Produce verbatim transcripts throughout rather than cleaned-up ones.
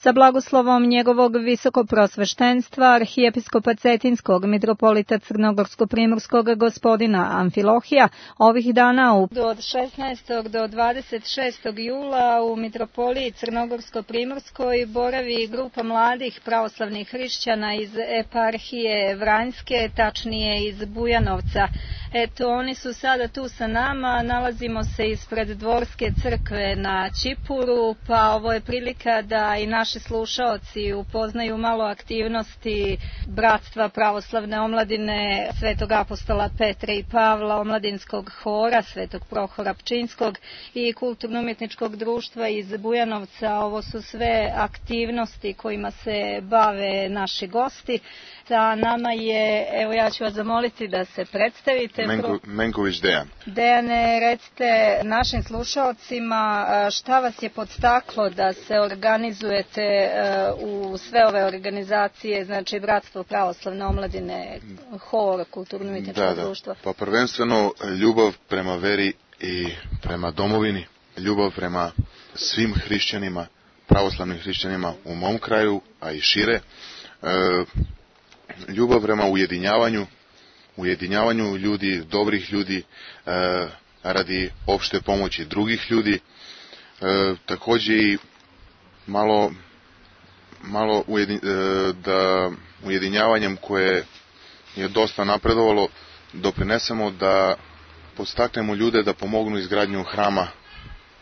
Sa blagoslovom njegovog visokoprosveštenstva, arhijepiskopa Cetinskog, mitropolita Crnogorsko-primorskog gospodina Amfilohija, ovih dana u... od šesnaestog do dvadeset šestog jula u mitropoliji Crnogorsko-primorskoj boravi grupa mladih pravoslavnih hrišćana iz eparhije Vranjske, tačnije iz Bujanovca. Eto, oni su sada tu sa nama, nalazimo se ispred Dvorske crkve na Ćipuru, pa ovo je prilika da i naši slušaoci upoznaju malo aktivnosti Bratstva pravoslavne omladine Svetog apostola Petra i Pavla, omladinskog hora Svetog Prohora Pčinjskog i kulturno-umjetničkog društva iz Bujanovca. Ovo su sve aktivnosti kojima se bave naši gosti. Sa nama je, evo ja ću vas zamoliti da se predstavite. Menko, Menković Dejan. Dejane, recite našim slušaocima šta vas je podstaklo da se organizujete u sve ove organizacije, znači Bratstvo pravoslavne omladine, hor, kulturno-umjetničko da, da. društvo. Pa prvenstveno ljubav prema veri i prema domovini, ljubav prema svim hrišćanima, pravoslavnim hrišćanima u mom kraju, a i šire. E, ljubav prema ujedinjavanju, ujedinjavanju ljudi, dobrih ljudi, e, radi opšte pomoći drugih ljudi, e, također i malo, malo ujedin, e, da ujedinjavanjem koje je dosta napredovalo, doprinesemo da podstaknemo ljude da pomognu izgradnju hrama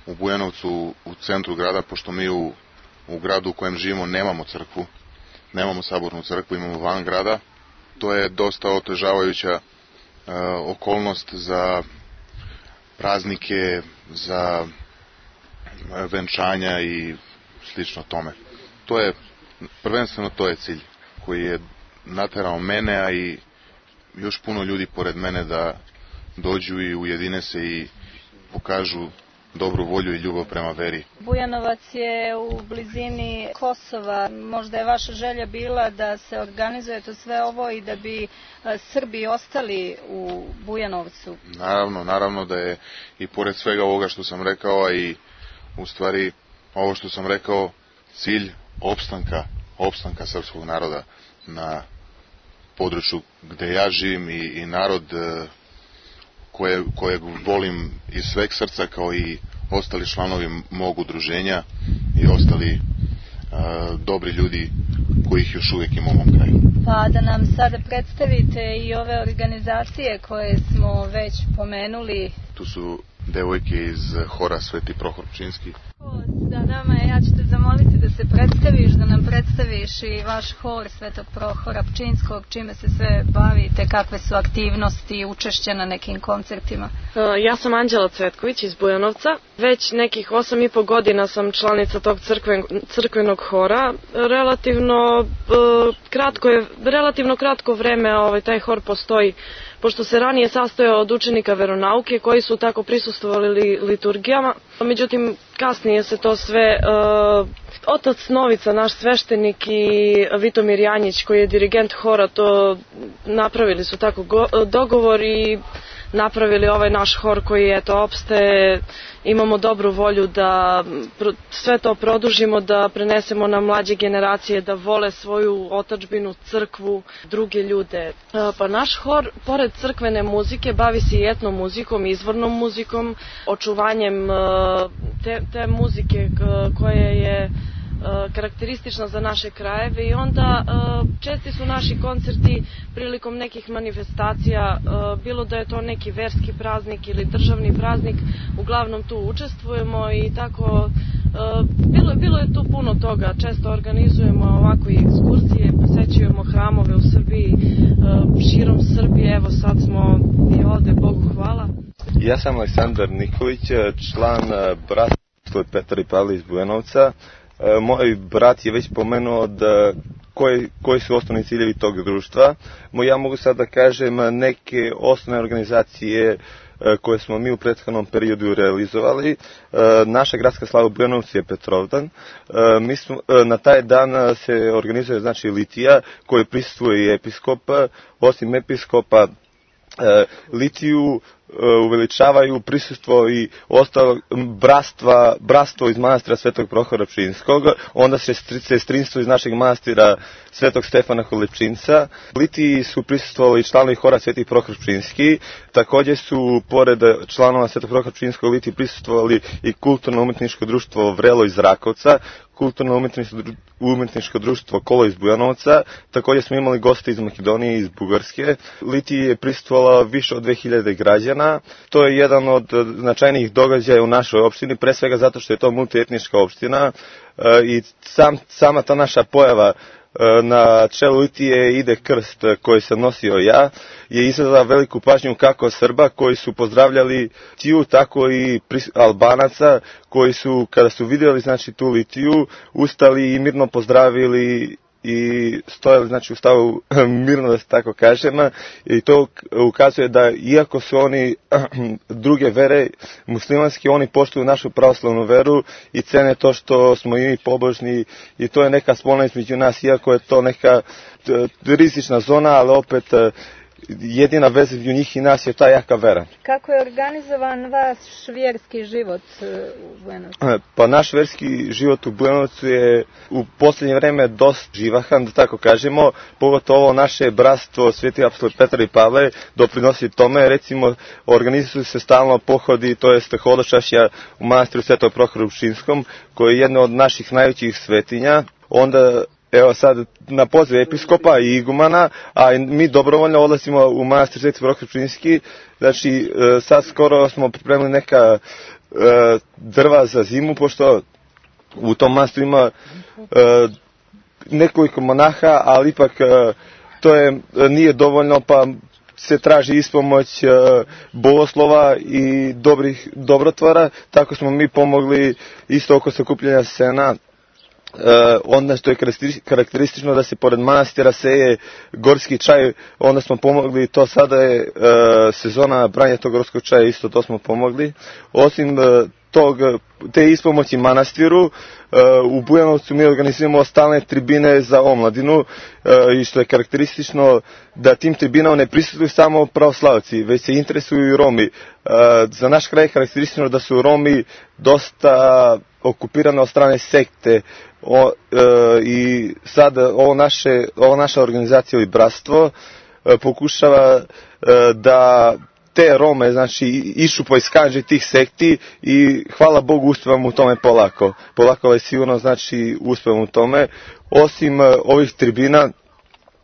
u Bujanovcu, u centru grada, pošto mi u, u gradu u kojem živimo nemamo crkvu, nemamo sabornu crkvu, imamo van grada. To je dosta otežavajuća e, okolnost za praznike, za venčanja i slično tome. To je, prvenstveno to je cilj koji je naterao mene, a i još puno ljudi pored mene da dođu i ujedine se i pokažu dobru volju i ljubav prema veri. Bujanovac je u blizini Kosova. Možda je vaša želja bila da se organizuje to sve ovo i da bi Srbi ostali u Bujanovcu? Naravno, naravno da je i pored svega ovoga što sam rekao, a i u stvari ovo što sam rekao, cilj opstanka, opstanka srpskog naroda na području gde ja živim i, i narod koje, kojeg volim iz sveg srca, kao i ostali članovi mog udruženja i ostali a, dobri ljudi kojih još uvijek imamo u mom kraju. Pa da nam sada predstavite i ove organizacije koje smo već pomenuli. Tu su devojke iz hora Sveti Prohor Pčinjski. Da, nama je, ja ću te zamoliti da se predstaviš, da nam predstaviš i vaš hor Svetog Prohora Pčinjskog, čime se sve bavite, kakve su aktivnosti i učešće na nekim koncertima. Ja sam Anđela Cvetković iz Bujanovca. Već nekih osam i po godina sam članica tog crkven, crkvenog hora. Relativno kratko je, relativno kratko vreme ovaj, taj hor postoji, pošto se ranije sastojao od učenika veronauke koji su tako prisustvovali liturgijama. Međutim, kasnije se to sve, uh, otac Novica, naš sveštenik, i Vitomir Janjić, koji je dirigent hora, to napravili su tako go, dogovor i napravili ovaj naš hor koji je to opste. Imamo dobru volju da sve to produžimo, da prenesemo na mlađe generacije, da vole svoju otadžbinu, crkvu, druge ljude. Pa naš hor, pored crkvene muzike, bavi se i etnom muzikom, izvornom muzikom, očuvanjem te, te muzike koja je karakteristična za naše krajeve, i onda česti su naši koncerti prilikom nekih manifestacija, bilo da je to neki verski praznik ili državni praznik, uglavnom tu učestvujemo i tako bilo, bilo je tu puno toga. Često organizujemo ovako i ekskursije, posećujemo hramove u Srbiji, širom Srbije, evo sad smo i ovde, Bogu hvala. Ja sam Aleksandar Nikolić, član Bratstva Petra i Pavla iz Bujanovca. Moj brat je već pomenuo da koji, koji su osnovni ciljevi tog društva. Ja mogu sad da kažem neke osnovne organizacije koje smo mi u prethodnom periodu realizovali. Naša gradska slava u Bujanovcu je Petrovdan. Mi smo, na taj dan se organizuje znači litija koju prisustvuje i episkop. Osim episkopa, litiju uveličavaju prisustvo i ostalo bratstva, bratstvo iz manastira Svetog Prohora Pčinjskog, onda se sestrinstvo iz našeg manastira Svetog Stefana Holepčinca. U Litiji su prisustvovali članovi hora Sveti Prohor Pčinjski, također su pored članova Svetog Prohora Pčinjskog u Litiji prisustvovali i kulturno-umetničko društvo Vrelo iz Rakovca, kulturno-umetničko društvo Kolo iz Bujanovca, također smo imali goste iz Makedonije i iz Bugarske. Litiji je prisustvovalo više od dve hiljade građana. To je jedan od značajnijih događaja u našoj opštini, pre svega zato što je to multietnička opština i sam, sama ta naša pojava na čelu Litije ide krst koji sam nosio ja, je izazvala veliku pažnju kako Srba koji su pozdravljali Litiju, tako i Albanaca koji su, kada su vidjeli znači tu Litiju, ustali i mirno pozdravili i stojali znači u stavu mirno, da se tako kažem, i to ukazuje da iako su oni druge vere muslimanske, oni poštuju našu pravoslavnu veru i cene to što smo i mi pobožni i to je neka spona između nas, iako je to neka rizična zona, ali opet jedina veza između njih i nas je ta jaka vera. Kako je organizovan vaš vjerski život u Bujanovcu? Pa naš vjerski život u Bujanovcu je u posljednje vreme dosta živahan, da tako kažemo, pogotovo naše bratstvo Sveti apostol Petar i Pavle doprinosi tome, recimo organizuju se stalno pohodi, to jest hodočašća u manastiru Svetog Prohora Pčinjskom, koji je jedna od naših najvećih svetinja. Onda evo sad na poziv episkopa i igumana, a mi dobrovoljno odlazimo u manastir Sveti Prohor Pčinjski. Znači sad skoro smo pripremili neka e, drva za zimu, pošto u tom manastiru ima e, nekoliko monaha, ali ipak e, to je, nije dovoljno, pa se traži ispomoć e, bogoslova i dobrih dobrotvora, tako smo mi pomogli isto oko sakupljanja sena. Uh, onda što je karakteristično da se pored manastira seje gorski čaj, onda smo pomogli, to sada je uh, sezona branja tog gorskog čaja, isto to smo pomogli. Osim uh, tog, te ispomoći manastiru, uh, u Bujanovcu mi organizujemo stalne tribine za omladinu uh, i što je karakteristično da tim tribinama ne prisutnuju samo pravoslavci, već se interesuju i Romi. Uh, za naš kraj je karakteristično da su Romi dosta okupirane od strane sekte. O, e, i sad ovo naše, ovo naša organizacija ili bratstvo e, pokušava e, da te Rome, znači, išupa iz kanđe tih sekti i hvala Bogu uspevamo u tome polako. Polako je sigurno, znači, uspevamo u tome. Osim e, ovih tribina,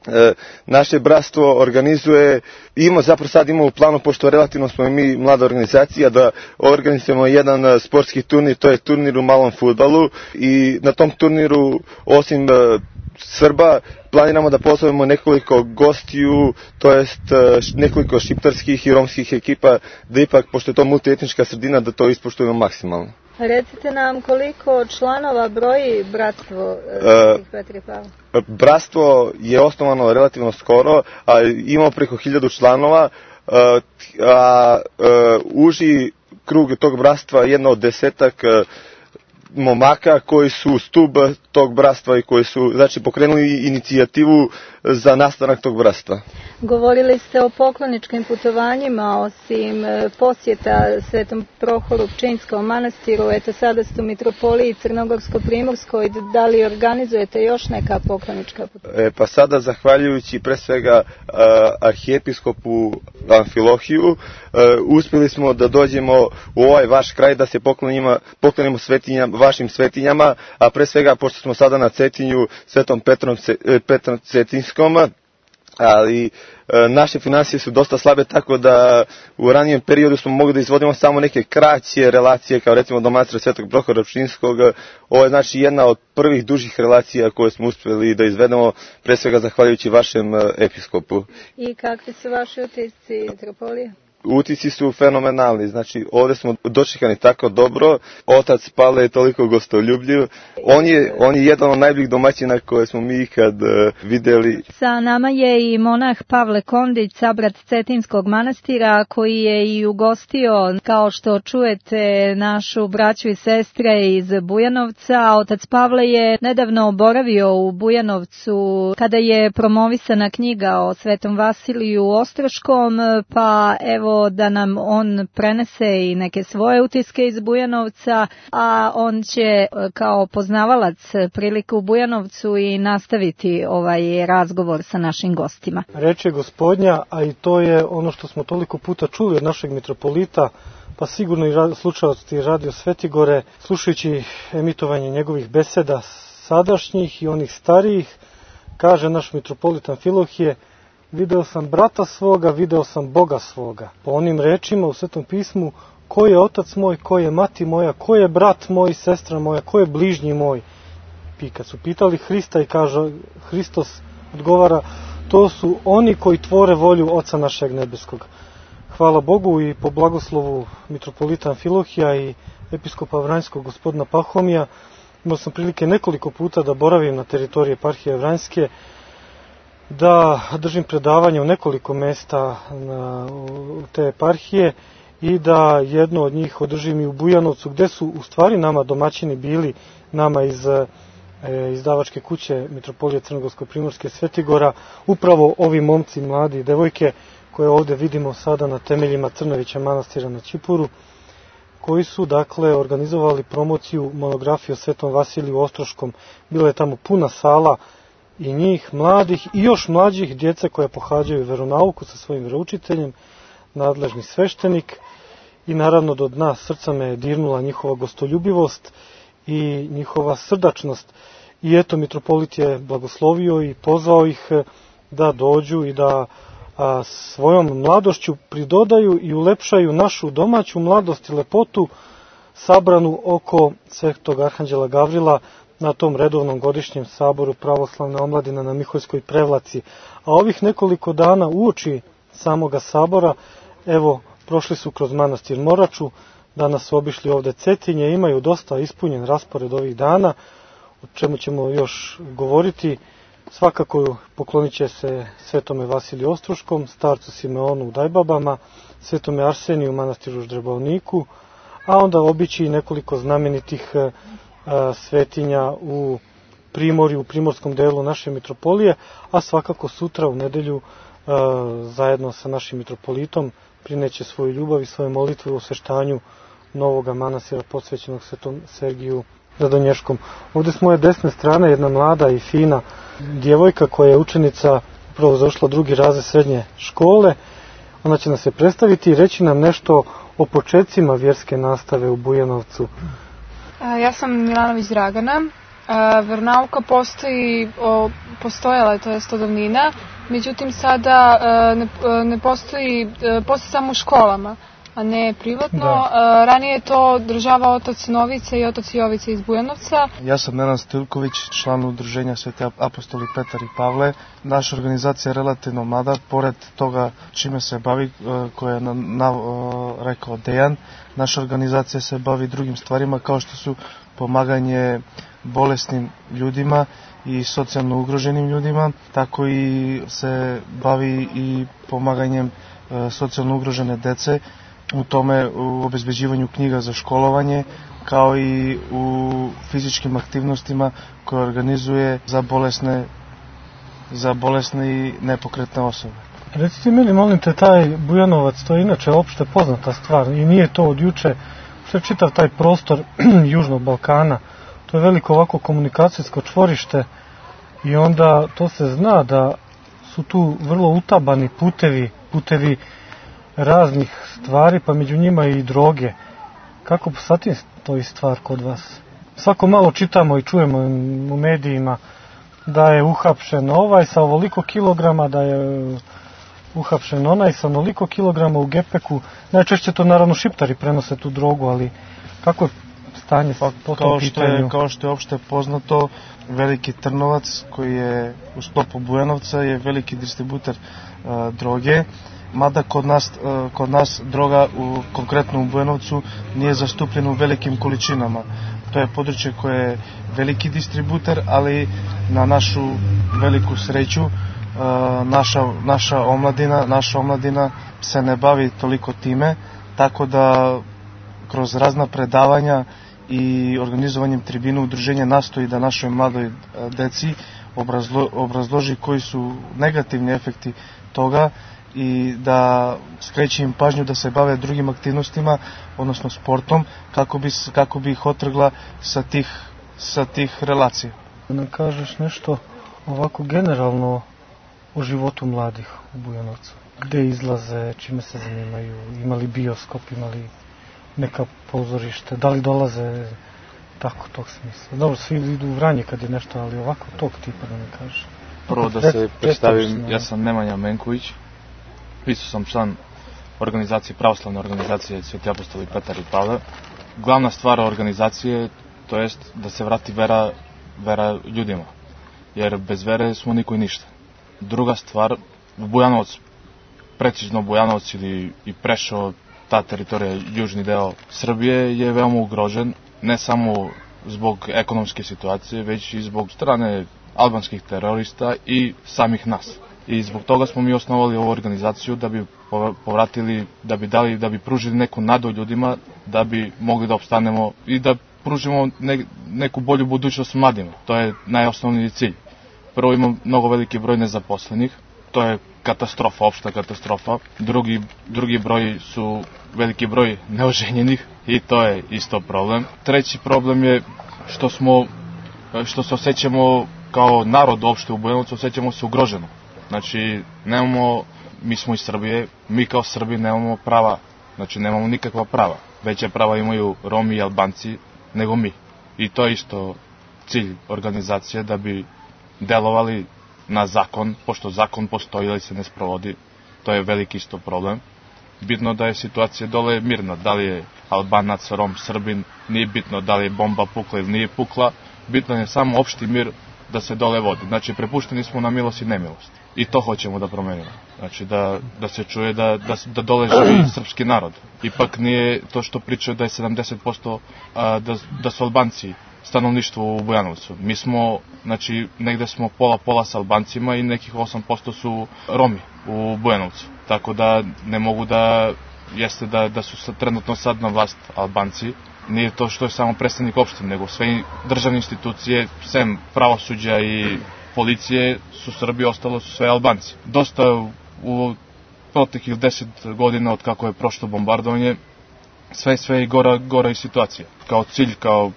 E, naše bratstvo organizuje, ima zapravo sad imamo u planu, pošto relativno smo mi mlada organizacija, da organizujemo jedan sportski turnir, to je turnir u malom fudbalu i na tom turniru osim e, Srba planiramo da pozovemo nekoliko gostiju, to jest nekoliko šiptarskih i romskih ekipa, da ipak, pošto je to multietnička sredina, da to ispoštujemo maksimalno. Recite nam koliko članova broji bratstvo uh, Petar i Pavle? Bratstvo je osnovano relativno skoro, a imamo preko hiljadu članova, uh, a uh, uži krug tog bratstva je jedno od desetak uh, momaka koji su stub tog bratstva i koji su, znači, pokrenuli inicijativu za nastanak tog bratstva. Govorili ste o pokloničkim putovanjima, osim posjeta Svetom Prohoru Pčinjskom manastiru, eto sada ste u mitropoliji Crnogorsko-Primorskoj, da li organizujete još neka poklonička putovanja? E, pa sada, zahvaljujući pre svega uh, arhijepiskopu Amfilohiju, uh, uspjeli smo da dođemo u ovaj vaš kraj, da se poklonimo, poklonimo svetinjama, vašim svetinjama, a pre svega, pošto smo sada na Cetinju, Svetom Petrom, Petrom Cetinskom, ali e, naše financije su dosta slabe, tako da u ranijem periodu smo mogli da izvodimo samo neke kraće relacije, kao recimo do manastira Svetog Prohora Pčinjskog. Ovo je znači jedna od prvih dužih relacija koje smo uspjeli da izvedemo, pre svega zahvaljujući vašem e, episkopu. I kakvi su vaši utisci mitropolije? Utisci su fenomenalni, znači ovdje smo dočekani tako dobro, otac Pavle je toliko gostoljubljiv, on je, on je jedan od najboljih domaćina koje smo mi ikad uh, vidjeli. Sa nama je i monah Pavle Kondić, sabrat Cetinskog manastira, koji je i ugostio, kao što čujete, našu braću i sestre iz Bujanovca. Otac Pavle je nedavno boravio u Bujanovcu kada je promovisana knjiga o Svetom Vasiliju Ostroškom, pa evo upravo da nam on prenese i neke svoje utiske iz Bujanovca, a on će kao poznavalac prilike u Bujanovcu i nastaviti ovaj razgovor sa našim gostima. Reč je Gospodnja, a i to je ono što smo toliko puta čuli od našeg mitropolita, pa sigurno i slušalci Radio Svetigore, slušajući emitovanje njegovih beseda sadašnjih i onih starijih, kaže naš mitropolit Amfilohije: video sam brata svoga, video sam Boga svoga. Po onim rečima u Svetom pismu: ko je otac moj, ko je mati moja, ko je brat moj, sestra moja, ko je bližnji moj. I kad su pitali Hrista i kaže, Hristos odgovara: to su oni koji tvore volju Oca našeg nebeskog. Hvala Bogu i po blagoslovu mitropolita Amfilohija i episkopa Vranjskog gospodina Pahomija, imao sam prilike nekoliko puta da boravim na teritoriji eparhije Vranjske, da držim predavanje u nekoliko mesta na, u te eparhije i da jedno od njih održim i u Bujanovcu, gde su u stvari nama domaćini bili, nama iz e, izdavačke kuće Mitropolije Crnogorsko-Primorske Svetigora, upravo ovi momci, mladi i devojke koje ovde vidimo sada na temeljima Crnovića manastira na Ćipuru, koji su dakle organizovali promociju monografije o Svetom Vasiliju Ostroškom. Bila je tamo puna sala i njih, mladih i još mlađih, djece koje pohađaju veronauku sa svojim veroučiteljem, nadležni sveštenik, i naravno do dna srca me je dirnula njihova gostoljubivost i njihova srdačnost. I eto, mitropolit je blagoslovio i pozvao ih da dođu i da a, svojom mladošću pridodaju i ulepšaju našu domaću mladost i lepotu sabranu oko Svetog Arhanđela Gavrila na tom redovnom godišnjem saboru Pravoslavne omladine na Miholjskoj Prevlaci. A ovih nekoliko dana uoči samoga sabora, evo, prošli su kroz manastir Moraču, danas su obišli ovde Cetinje, imaju dosta ispunjen raspored ovih dana, o čemu ćemo još govoriti. Svakako poklonit će se Svetome Vasiliju Ostroškom, starcu Simeonu u Dajbabama, Svetome Arseniju u manastiru Ždrebovniku, a onda obići i nekoliko znamenitih a, svetinja u Primorju, u primorskom delu naše mitropolije, a svakako sutra u nedelju a, zajedno sa našim mitropolitom prineće svoju ljubav i svoje molitve u osveštanju novoga manastira posvećenog Svetom Sergiju Radonješkom. Ovde s moje desne strane jedna mlada i fina djevojka koja je učenica, upravo završila drugi razred srednje škole. Ona će nas se predstaviti i reći nam nešto o početcima vjerske nastave u Bujanovcu. Ja sam Milanović Dragana. Veronauka postoji, postojala je, to jest od davnina, međutim sada ne, ne postoji, postoji samo u školama, a ne privatno. Da. Ranije je to država otac Novice i otac Jovice iz Bujanovca. Ja sam Nenad Stilković, član udruženja Sveti apostoli Petar i Pavle. Naša organizacija je relativno mlada, pored toga čime se bavi, koje je na, na, rekao Dejan. Naša organizacija se bavi drugim stvarima kao što su pomaganje bolesnim ljudima i socijalno ugroženim ljudima, tako i se bavi i pomaganjem e, socijalno ugrožene dece, u tome u obezbeđivanju knjiga za školovanje, kao i u fizičkim aktivnostima koje organizuje za bolesne, za bolesne i nepokretne osobe. Recite mi li, molim te, taj Bujanovac, to je inače opšte poznata stvar i nije to od juče, sve čitav taj prostor Južnog Balkana, to je veliko ovako komunikacijsko čvorište i onda to se zna da su tu vrlo utabani putevi, putevi raznih stvari, pa među njima i droge. Kako sa tim stoji stvar kod vas? Svako malo čitamo i čujemo u medijima da je uhapšen ovaj sa ovoliko kilograma, da je uhapšen onaj sa onoliko kilograma u gepeku. Najčešće to naravno šiptari prenose tu drogu, ali kako je stanje pa, po tom kao što je, pitanju? Kao što je opšte poznato, Veliki Trnovac, koji je u sklopu Bujanovca, je veliki distributer uh, droge. Mada kod nas, uh, kod nas droga, u, konkretno u Bujanovcu, nije zastupljena u velikim količinama. To je područje koje je veliki distributer, ali na našu veliku sreću uh, naša, naša omladina, naša omladina se ne bavi toliko time, tako da kroz razna predavanja i organizovanjem tribina udruženja nastoji da našoj mladoj deci obrazlo, obrazloži koji su negativni efekti toga i da skreće im pažnju da se bave drugim aktivnostima, odnosno sportom, kako bi, kako bi ih otrgla sa tih, sa tih relacija. Da nam kažeš nešto ovako generalno o životu mladih u Bujanovcu. Gde izlaze, čime se zanimaju, imali bioskop, imali neka pozorište, da li dolaze tako tog smisla. Dobro, svi idu u Vranje kad je nešto, ali ovako tog tipa da mi kažeš. Prvo da se predstavim, ja sam Nemanja Menković, isto sam član organizacije, pravoslavne organizacije Sveti apostoli Petar i Pavle. Glavna stvar organizacije, to jest da se vrati vera, vera ljudima, jer bez vere smo niko i ništa. Druga stvar, Bujanovac, precizno Bujanovac ili i Preševo, ta teritorija, južni deo Srbije je veoma ugrožen, ne samo zbog ekonomske situacije, već i zbog strane albanskih terorista i samih nas. I zbog toga smo mi osnovali ovu organizaciju da bi povratili, da bi dali, da bi pružili neku nadu ljudima, da bi mogli da opstanemo i da pružimo ne, neku bolju budućnost mladima. To je najosnovniji cilj. Prvo, ima mnogo veliki broj nezaposlenih, to je katastrofa, opšta katastrofa. Drugi, drugi broj su veliki broj neoženjenih i to je isto problem. Treći problem je što smo, što se osjećamo kao narod uopšte u Bujanovcu, osjećamo se ugroženo. Znači, nemamo, mi smo iz Srbije, mi kao Srbi nemamo prava, znači nemamo nikakva prava. Veće prava imaju Romi i Albanci nego mi. I to je isto cilj organizacije, da bi delovali na zakon, pošto zakon postoji ili se ne sprovodi, to je veliki isto problem. Bitno da je situacija dole mirna, da li je Albanac, Rom, Srbin, nije bitno da li je bomba pukla ili nije pukla, bitno je samo opšti mir da se dole vodi. Znači, prepušteni smo na milost i nemilost. I to hoćemo da promenimo. Znači, da, da se čuje da, da, da dole živi srpski narod. Ipak nije to što pričaju da je sedamdeset posto a, da, da su Albanci stanovništvo u Bujanovcu. Mi smo, znači, negde smo pola-pola sa Albancima i nekih osam posto su Romi u Bujanovcu. Tako da ne mogu da, jeste da, da su sad, trenutno sad na vlast Albanci. Nije to što je samo predstavnik opštine, nego sve državne institucije, sem pravosuđa i policije, su Srbi, ostalo su sve Albanci. Dosta u proteklih deset godina od kako je prošlo bombardovanje, sve sve i gora, gora i situacija. Kao cilj, kao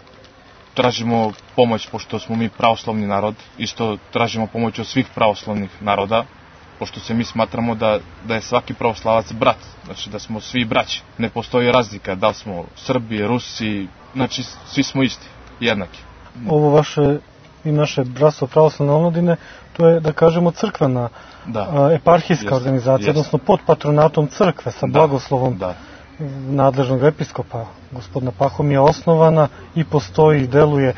tražimo pomoć, pošto smo mi pravoslavni narod, isto tražimo pomoć od svih pravoslavnih naroda, pošto se mi smatramo da, da je svaki pravoslavac brat, znači da smo svi braći. Ne postoji razlika, da li smo Srbi, Rusi, znači svi smo isti, jednaki. Ovo vaše i naše bratstvo pravoslavne omladine, to je, da kažemo, crkvena, da, eparhijska jest, organizacija, jest. Odnosno pod patronatom crkve, sa da, blagoslovom da. nadležnog episkopa, gospodina Pahomija, osnovana i postoji i deluje.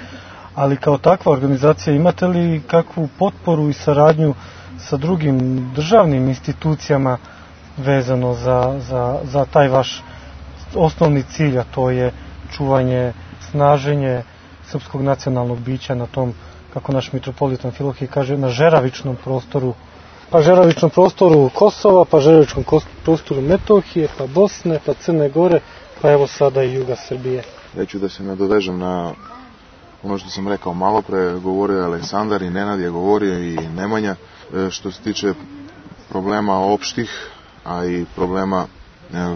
Ali kao takva organizacija, imate li kakvu potporu i saradnju sa drugim državnim institucijama vezano za, za, za taj vaš osnovni cilj, a to je čuvanje, snaženje srpskog nacionalnog bića na tom, kako naš mitropolit Amfilohije kaže, na žeravičnom prostoru, pa žeravičnom prostoru Kosova, pa žeravičnom prostoru Metohije, pa Bosne, pa Crne Gore, pa evo sada i juga Srbije. Ja ću da se nadovežem na ono što sam rekao malo pre, govorio je Aleksandar i Nenad je govorio i Nemanja, što se tiče problema opštih, a i problema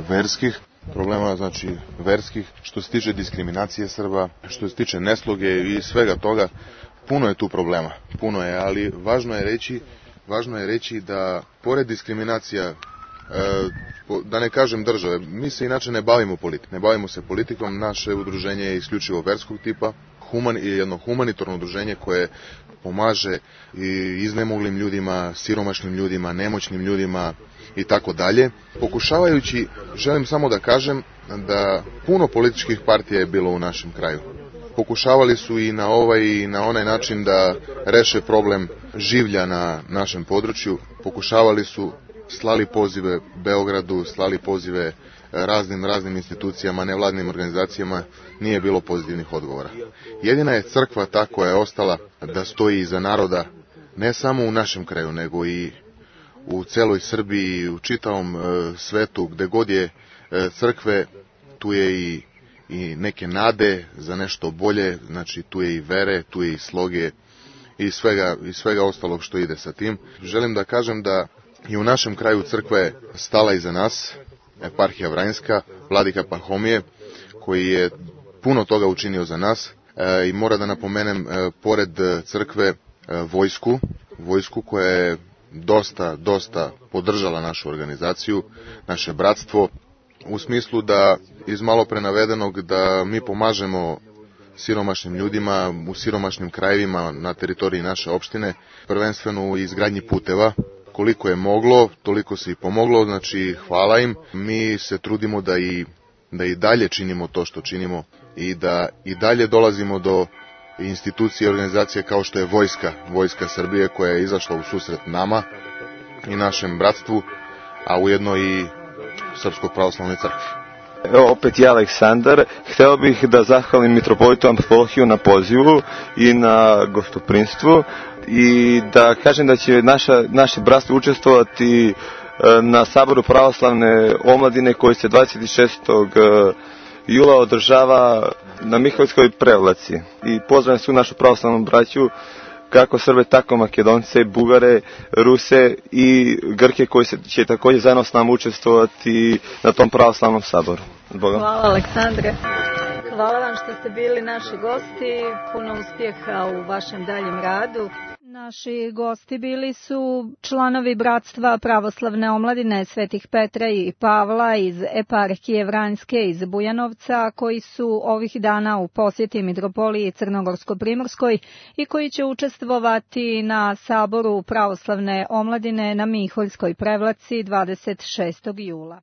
verskih, problema znači verskih, što se tiče diskriminacije Srba, što se tiče nesloge i svega toga, puno je tu problema, puno je, ali važno je reći, važno je reći da pored diskriminacija, da ne kažem države, mi se inače ne bavimo politikom, ne bavimo se politikom, naše udruženje je isključivo verskog tipa, human, jedno humanitarno udruženje koje pomaže i iznemoglim ljudima, siromašnim ljudima, nemoćnim ljudima i tako dalje. Pokušavajući, želim samo da kažem da puno političkih partija je bilo u našem kraju. Pokušavali su i na ovaj i na onaj način da reše problem življa na našem području. Pokušavali su, slali pozive Beogradu, slali pozive raznim raznim institucijama, nevladnim organizacijama, nije bilo pozitivnih odgovora. Jedina je crkva ta koja je ostala da stoji iza naroda, ne samo u našem kraju, nego i u celoj Srbiji i u čitavom e, svetu, gde god je e, crkve, tu je i, i neke nade za nešto bolje, znači tu je i vere, tu je i sloge i svega, i svega ostalog što ide sa tim. Želim da kažem da i u našem kraju crkva je stala iza nas, eparhija Vranjska, vladika Pahomije, koji je puno toga učinio za nas e, i mora da napomenem e, pored crkve e, vojsku, vojsku koja je dosta, dosta podržala našu organizaciju, naše bratstvo, u smislu da iz malo pre navedenog da mi pomažemo siromašnim ljudima u siromašnim krajevima na teritoriji naše opštine, prvenstveno u izgradnji puteva. Koliko je moglo, toliko se i pomoglo, znači hvala im. Mi se trudimo da i, da i dalje činimo to što činimo i da i dalje dolazimo do institucije i organizacije kao što je Vojska, Vojska Srbije koja je izašla u susret nama i našem bratstvu, a ujedno i Srpskoj pravoslavnoj crkvi. Evo opet ja, Aleksandar. Hteo bih da zahvalim mitropolitu Amfilohiju na pozivu i na gostoprinstvu i da kažem da će naša, naše bratstvo učestvovati na Saboru pravoslavne omladine koji se dvadeset šestog jula održava na Mihaljskoj prevlaci. I pozdravljam svu našu pravoslavnu braću, kako Srbe, tako Makedonce, Bugare, Ruse i Grke koji se, će također zajedno s nama učestvovati na tom pravoslavnom saboru. Bogom. Hvala Aleksandre. Hvala vam što ste bili naši gosti. Puno uspjeha u vašem daljem radu. Naši gosti bili su članovi Bratstva pravoslavne omladine Svetih Petra i Pavla iz eparhije Vranjske iz Bujanovca, koji su ovih dana u posjeti mitropoliji Crnogorsko-Primorskoj i koji će učestvovati na Saboru pravoslavne omladine na Miholjskoj prevlaci dvadeset šestog jula.